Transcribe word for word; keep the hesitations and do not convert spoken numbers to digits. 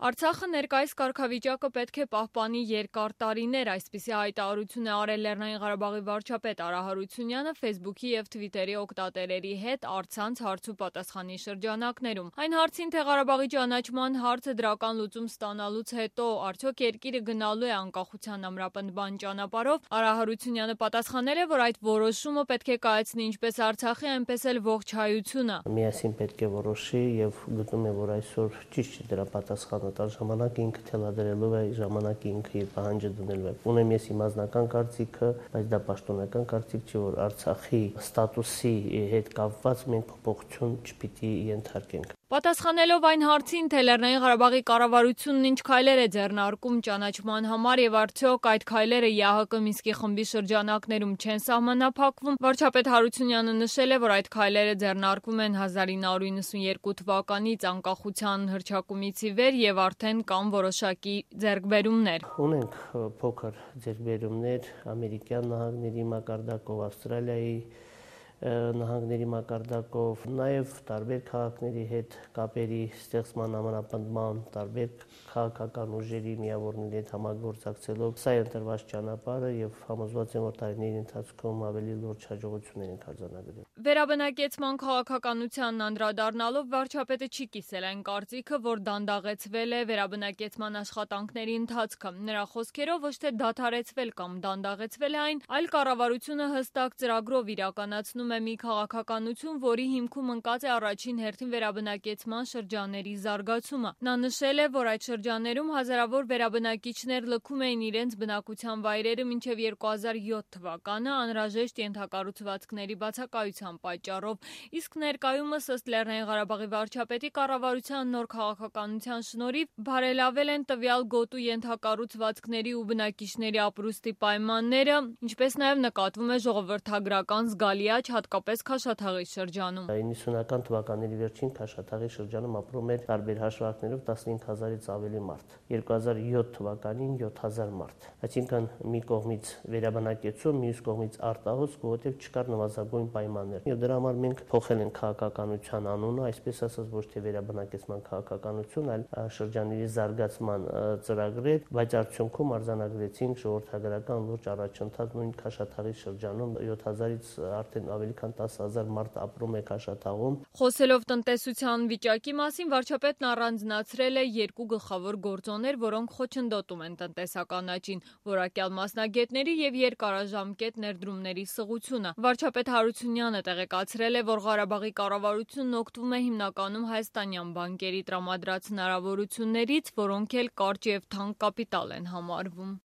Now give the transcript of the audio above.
Արցախը ներկայիս կարգավիճակը պետք է պահպանի երկար տարիներ, այսպիսի հայտարարություն է արել Լեռնային Ղարաբաղի վարչապետ Արա Հարությունյանը Facebook-ի և Twitter-ի օգտատերերի հետ առցանց հարց ու պատասխանի շրջանակներում։ Այն հարցին, թե Ղարաբաղի ճանաչման հարցը դրական լուծում ստանալուց հետո արդյոք երկիրը գնալու է անկախության ամրապնդման ճանապարհով, Արա Հարությունյանը պատասխանել է, որ այդ որոշումը պետք է կայացնի ինչպես Արցախի, այնպես էլ ողջ հայությունը։ Միասին պետք է որոշի եւ գտնում է, որ այսօր ճիշտ չի դրա պատասխանը տալ, ժամանակը ինքը թելադրելու է, ժամանակը ինքը իր պահանջը դնելու է։ Ունեմ ես իմ անձնական կարծիքը, բայց դա պաշտոնական կարծիք չի, որ Արցախի ստատուսի հետ կապված մենք փոփոխություն չպիտի ենթարկենք։ Պատասխանելով այն հարցին, թե Լեռնային Ղարաբաղի կառավարությունն ինչ քայլեր է ձեռնարկում ճանաչման համար եւ արդյոք այդ քայլերը ԵԱՀԿ Մինսկի խմբի շրջանակներում չեն սահմանափակվում, վարչապետ Հարությունյանը նշել է, որ այդ քայլերը ձեռնարկվում են հազար ինը հարյուր նվաթ թվականից անկախության հռչակումից ի վեր եւ արդեն կան որոշակի ձեռքբերումներ։ Ունենք փոքր ձեռքբերումներ Ամերիկյան Նահանգների մակարդակով, Ավստրալիայի նահանգների մակարդակով, նաև տարբեր քաղաքների հետ կապերի ստեղծման ամրապնդման, տարբեր քաղաքական ուժերի միավորների հետ համագործակցելով, սա է ընտրված ճանապարհը եւ համոզված եմ, որ տարիների ընթացքում ավելի լուրջ հաջողություններ ենք արձանագրել։ Վերաբնակեցման քաղաքականությանն անդրադառնալով վարչապետը չի կիսել այն կարծիքը, որ դանդաղեցվել է վերաբնակեցման աշխատանքների ընթացքը։ Նրա խոսքերով ոչ թե դադարեցվել կամ դանդաղեցվել է այն, այլ կառավարությունը հստակ ծրագրով իրականացնում է մի քաղաքականություն, որի հիմքում ընկած է առաջին հերթին վերաբնակեցման շրջանների զարգացումը։ Նա նշել է, որ այդ շրջաններում հազարավոր վերաբնակիչներ լքում էին իրենց բնակության վայրերը մինչև երկու հազար յոթ թվականը անհրաժեշտ ենթակառուցվածքների բացակայության պատճառով, իսկ ներկայումս ըստ Լեռնային Ղարաբաղի վարչապետի կառավարության նոր քաղաքականության շնորհիվ բարելավել են տվյալ գոտու ենթակառուցվածքների ու բնակիչների ապրուստի պայմանները, ինչպես նաև նկատվում է ժողովրդագրական զգալի աճ, հատկապես Քաշաթաղի շրջանում։ իննսունական թվականների վերջին Քաշաթաղի շրջանում ապրում էր տարբեր հաշվարկներով տասնհինգ հազարից ավելի մարդ։ երկու հազար յոթ թվականին յոթ հազար մարդ։ Այսինքն մի կողմից վերաբնակեցում, մյուս կողմից արտահոսք, որովհետև չկար նվազագույն պայմաններ։ Եվ դրա համար մենք փոխել ենք քաղաքականության անունը, այսպես ասած ոչ թե վերաբնակեցման քաղաքականություն, այլ շրջանների զարգացման ծրագրեր, բայց արդյունքում արձանագրեցինք ժողովրդագրական լուրջ առաջընթաց նույն Քաշաթաղի շրջանում յոթ հազարից արդեն ավելի քան տասը հազար մարդ ապրում է Քաշաթաղում։ Խոսելով տնտեսության վիճակի մասին, վարչապետն առանձնացրել է երկու գլխավոր գործոններ, որոնք խոչընդոտում են տնտեսական աճին՝ որակյալ մասնագետների եւ երկարաժամկետ ներդրումների սղությունը։ Վարչապետ Հարությունյանը տեղեկացրել է, որ Ղարաբաղի կառավարությունն օգտվում է հիմնականում հայաստանյան բանկերի տրամադրած հնարավորություններից, որոնք էլ կարճ եւ թանկ կապիտալ են համարվում։